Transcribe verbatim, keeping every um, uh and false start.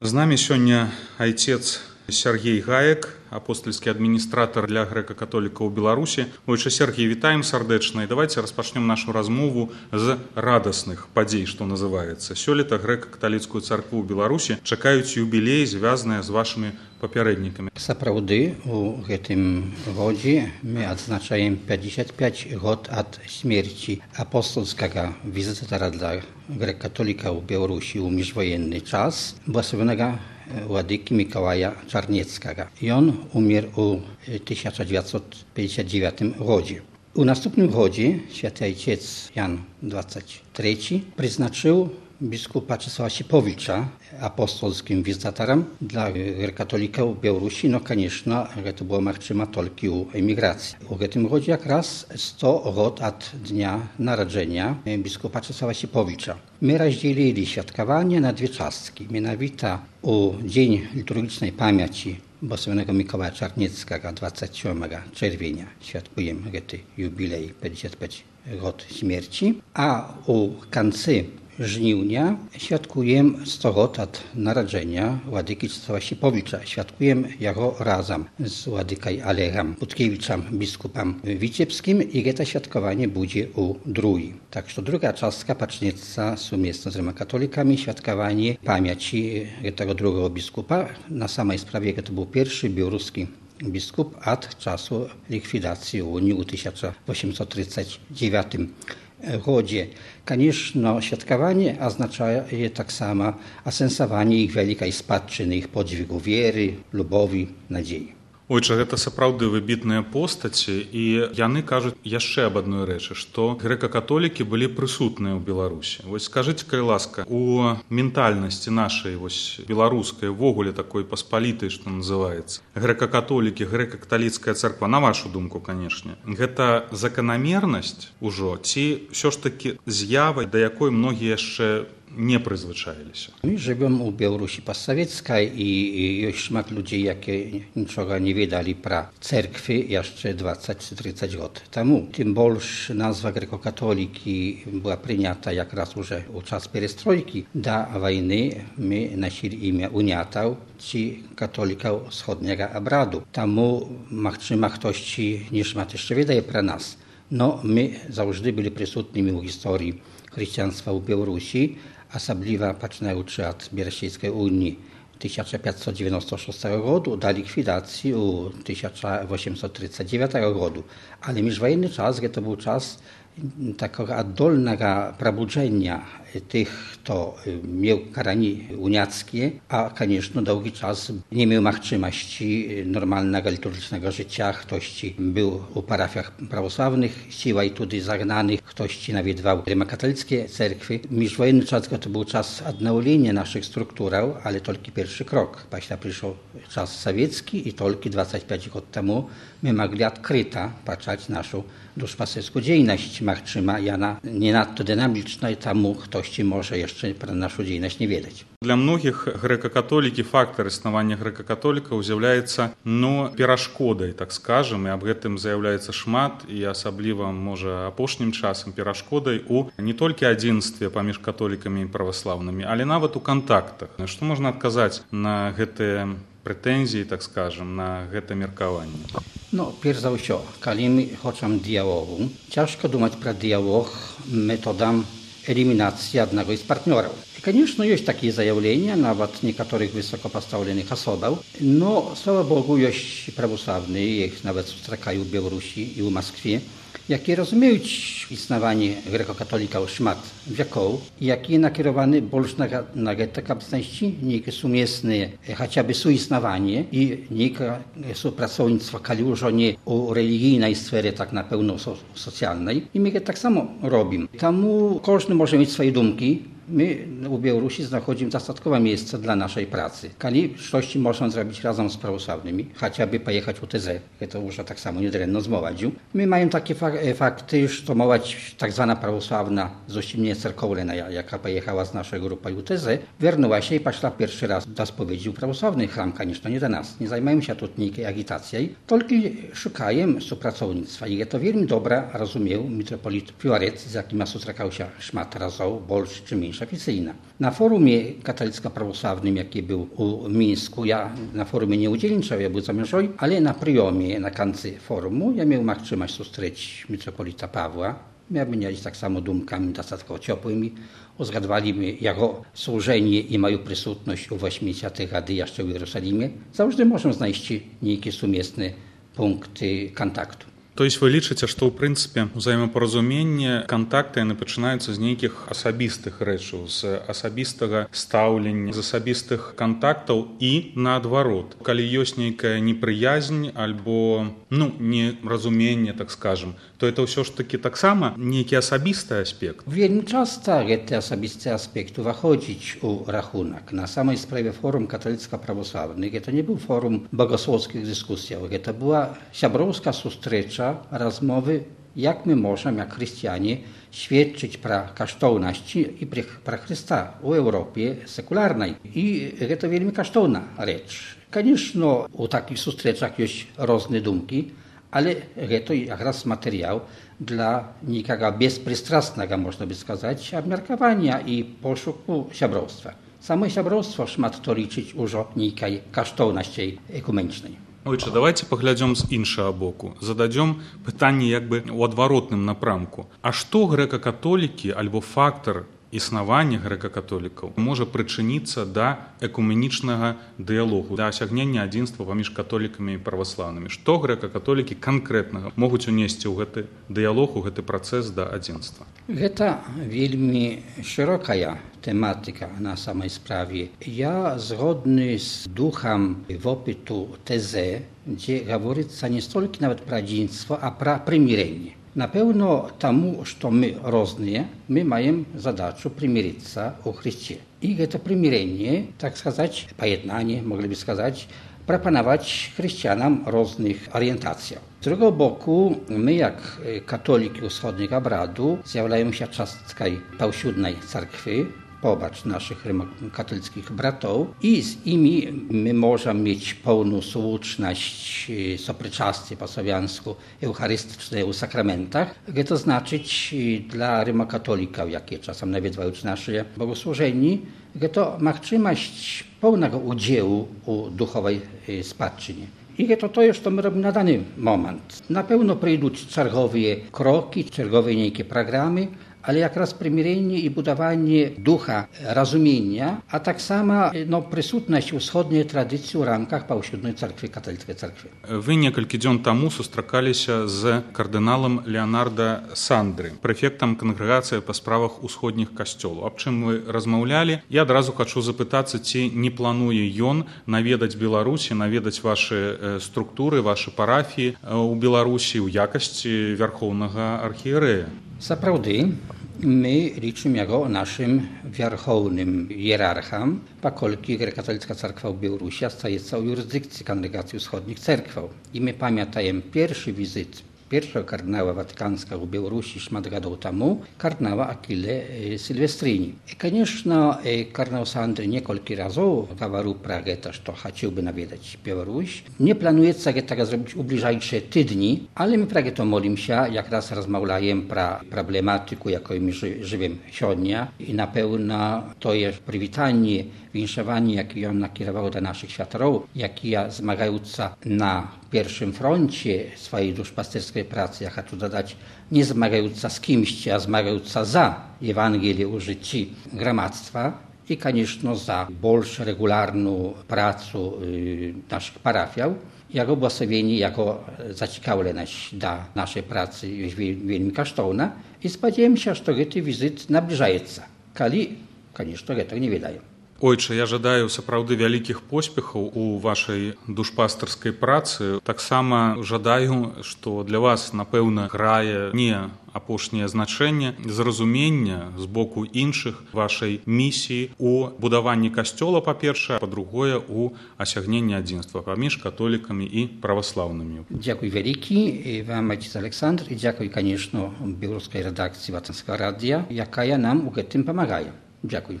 З намі сёння айцец Сергей Гаек, апостольскі адміністратар для грэка-католікаў у Беларусі. Ойча Сергей, вітаем сардэчна, і давайте распачнем нашу размову з радасных падзей, што называецца. Сёлета грэка-каталіцкую царкву ў Беларусі чакаюць юбілей, звязаныя з вашымі папярэднікамі. Сапраўды, у гэтым годзе мы адзначаем пятьдесят пять год ад смерці апостольскага візітара для грэка-католікаў у Беларусі ў міжваенны час, благословенного Władyki Mikołaja Czarnieckiego. I on umarł w tysiąc dziewięćset pięćdziesiątym dziewiątym roku. U następnym roku święty ojciec Jan dwudziesty trzeci przeznaczył biskupa Czesława Sipowicza apostolskim wizytatorem dla katolików w Białorusi. No, конечно, to było możliwe tylko u emigracji. W tym roku jak raz sto lat od dnia narodzenia biskupa Czesława Sipowicza. My rozdzielili świadkowanie na dwie czastki. Mianowito u Dzień Liturgicznej Pamięci Błogosławionego Mikołaja Czarnieckiego dwudziestego siódmego czerwca świadkujemy ten jubilej pięćdziesiąt pięć lat śmierci, a u końca żniwnia świadkujemy sto lat od narodzenia Władyki Czesława Sipowicza. Świadkujemy jego razem z Władyką Olegiem Butkiewiczem, biskupem witebskim, i to świadkowanie będzie u drugiej. Tak że druga czastka pacznica sumiesto z rzymokatolikami świadkowanie pamięci tego drugiego biskupa. Na samej sprawie to był pierwszy białoruski biskup od czasu likwidacji Unii w tysiąc osiemset trzydziestym dziewiątym гоdzie. Конечно, świadkowanie oznacza tak samo asensowanie ich wielkiej spadczyny, ich podźwigu wiery, lubowi, nadziei. Ойча, гэта сапраўды выбітныя постаці, і яны кажуць яшчэ аб адной рэчы, што грэка-католікі былі прысутныя ў Беларусі. Вось скажыце, калі ласка, у ментальнасці нашай вось беларускай, ввогуле такой паспалітай, што называецца, грэка-католікі, грэка-каталіцкая царква, на вашу думку, канешне, гэта заканамернасць ужо, ці ўсё ж такі з'ява, да якой многія яшчэ nie przyzwyczaili się. My żyjemy u Białorusi postsowieckiej i jest szmat ludzi, jakie niczego nie wiedzieli pra cerkwy jeszcze dwadzieścia trzydzieści lat temu. Tym больше nazwa grekokatoliki była przyjęta jak raz już u czas perestrojki. Do wojny my nosili imię uniatał, ci katolików wschodniego obradu. Temu machczyma ktoś niż ma jeszcze wiedział pra nas. No, my zawsze byli przysutnymi w historii chrześcijaństwa w Białorusi, особливо починаючи od Берестейской Unii tysiąc pięćset dziewięćdziesiątego szóstego roku do likwidacji u tysiąc osiemset trzydziestego dziewiątego roku. Ale międzywojenny czas to był czas takiego oddolnego probudzenia tych, kto miał karani uniackie, a конечно długi czas nie miał możliwości normalnego liturgicznego życia. Ktoś był u parafiach prawosławnych, siła i tudy zagnanych, ktoś nawiedwał rzymokatolickie cerkwy. Międzywojenny czas to był czas odnowienia naszych struktur, ale tylko pierwszy krok. Później przyszedł czas sowiecki i tylko dwadzieścia pięć lat temu my mogli odkryta patrzeć naszą duszpasterską działalność. Machczyma jana nie nadto dynamiczna i temu ktoś może jeszcze про нашу дзейнасць не ведаць. Для многіх грэка-католікі, фактар існавання грэка-католікаў з'яўляецца, ну, перашкодай, так скажем, і аб гэтым заяўляецца шмат, і асабліва, можа, апошнім часам перашкодай у не толькі адзінстве паміж католікамі і праваслаўнымі, але нават у кантактах. Што можна адказаць на гэтыя прэтэнзіі, так скажем, на гэта меркаванне? No, pierwsze za wszystko, kiedy my chcemy dialogu, ciężko думать про dialog metodą eliminacji jednego z partnerów. I, конечно, jest takie zajawienia, nawet niektórych wysoko postawionych osób, no, sława Bogu, jest prawosławny, ich nawet strakają w Białorusi i w Moskwie, jakie rozumieją istnienie grekokatolików szmat wieków, jakie nakierowane больше na takie obecności, niekie sumiesne, chociażby suistnowanie i niekie współpracownictwo, kiedy już nie u religijnej sfery, tak na pewno so, socjalnej. I my tak samo robimy. Temu każdy może mieć swoje dumki. My u Białorusi znajdujemy dostatkowe miejsce dla naszej pracy. Kiedy coś można zrobić razem z prawosławnymi, chociażby pojechać u T Z, to już tak samo niedrętno zmować. My mamy takie fakty, że to mować tak zwana prawosławna z ościmnie cerkowna, jaka pojechała z naszej grupy u T Z, wernęła się i poszła pierwszy raz do spowiedzi u prawosławnych chram, конечно, nie do nas. Nie zajmujemy się tu nikiej agitacją, tylko szukajemy współpracownictwa. I to wielmi dobra rozumiał mitropolit Fiłaret, z jakim spotykał się szmat razów, больше czy mniejszy. niż oficyjna. Na forumie katolicko-prawosławnym, jaki był u Mińsku, ja na forumie nie udzielniczał, ja był zamierzony, ale na pryjomie, na końcu forumu, ja miał machtrzymać sustrzeć mitropolita Pawła. My mieli tak samo duмкami dostatkowo ciepłymi. Uzgadwaliśmy jego służenie i moją przysutność u osiemdziesiątych rady jeszcze w Jerozolimie. Zawsze możemy znaleźć niejakie sumiestne punkty kontaktu. То есть вы лічыце, што ў прынцыпе ўзаемапаразуменне, кантакты яны пачынаюцца з нейкіх асабістых рэчаў, з асабістага стаўлення, з асабістых кантактаў і наадварот. Калі ёсць нейкая непрыязнь альбо ну, неразуменне, так скажем, то это ўсё ж такі таксама нейкі асабісты аспект. Вельмі часта гэты асабісты аспект уваходзіць у рахунак. На самай справе форум каталіцка-православны гэта не быў форум богословскіх дыскусіяў, гэта была сяброўская сустрэча, rozmowy, jak my możemy, jak chrześcijanie, świadczyć pra kosztowności i pra Chrysta w Europie sekularnej. I to wielmi kosztowna rzecz. Конечно, u takich sustrzeczach jest różne dumki, ale to jak raz materiał dla nikogo bezprystrasnego, można by сказать, obmiarkowania i poszuku siabrostwa. Samo siabrostwo szmat to liczyć już o niekiej kosztowności ekumenicznej. Ojcze, давайте паглядзём з іншага боку. Зададзём пытанне як бы ў адваротным напрамку. А што грэка-католікі альбо фактар існавання грэка-католікаў можа прычыніцца да экуменічнага дыялогу, да асягнення адзінства паміж католікамі і праваслаўнымі? Што грэка-католікі канкрэтнага могуць унесці ў гэты дыялог, у гэты працэс да адзінства? Гэта вельмі шырокая tematyka na samej sprawie. Ja zgodny z duchem opytu tezy, gdzie говорится nie stolki nawet про единство, a про примирение. Na pewno temu, że my różnie, my mamy zadачу примириться u Chrystie. I to примирение, tak сказать, pojednanie, mogliby сказать, proponować chrześcijanom różnych orientacji. Z drugiego boku, my jak katoliki wschodniego obradu zjawiają się cząstką pałsiudnej cerkwy, pobacz naszych katolickich bratów i z nimi my możemy mieć pełną słuszność sopryczastie po słowiańsku eucharystyczne u sakramentach. To znaczyć dla rymokatolików, jakie czasem nawiedzają nasze bogosłużeni, to możliwość pełnego udziału u duchowej spadczynie. I to to jest, co my robimy na dany moment. Na pewno przyjdą czergowe kroki, czergowe niejakie programy, ale jak raz примирение i budowanie ducha rozumienia, a tak samo no, присутność wschodniej tradycji w raмках Паўсюднай церкви, католицкой церкви. Вы некалькі дзён таму сустракаліся з кардыналам Леонардо Сандри, прэфектам кангрэгацыі па справах усходніх касцёлаў. Аб чым вы размаўлялі? Я адразу хачу запытацца, ці не плануе ён наведаць Беларусі, наведаць вашы структуры, вашы парафіі ў Беларусі ў якасці вярхоўнага архіерэя. Сапраўды, my liczymy go naszym wierchownym hierarchom, pokolki Grekatolicka Cerkwa w Białorusi staje w jurysdykcji Kongregacji Wschodnich Cerkwał. I my pamiętajemy pierwszy wizyt pierwszego kardynała watykańskiego w Białorusi szmat lat temu, kardynała Achille Silvestrini. I конечно, kardynał Sandry niekolki razy говорил про to, że chciałby nawiedzać Białoruś. Nie planuje się tego zrobić w bliżejsze tydni, ale my prawie to modlimy się, jak raz rozmawiamy про problematyku, jaką my żyjemy dzisiaj. I na pewno to jest przywitanie, winszowanie, jakie on nakierował do naszych światorów, jakie zmagające na pierwszym froncie swojej duszpasterskiej pracy, ja chcę dodać, nie zmagająca z kimś, a zmagająca za Ewangelię u życiu gromadztwa i, koniecznie, za больше regularną pracę y, naszych parafiał. Jego błogosławienie, jako zaciekawienie do naszej pracy jest wielmi kosztowna i spodziewam się, że ten wizyt nabliżaje się. Kali, koniecznie, tego nie wydaje. Ojcze, я жадаю сапраўды вялікіх поспехаў у вашай душпастарскай працы. Таксама жадаю, што для вас, напэўна, грае не апошняе значэнне зразумення з боку іншых вашай місіі у будаванні касцёла, па-першае, а па-другое, у асягненні адзінства паміж католікамі і праваслаўнымі. Дзякуй вялікі вам, отец Александр, і дзякуй, конечно, беларускай рэдакцыі Ватанскага радыё, якая нам у гэтым памагае. Дзякуй.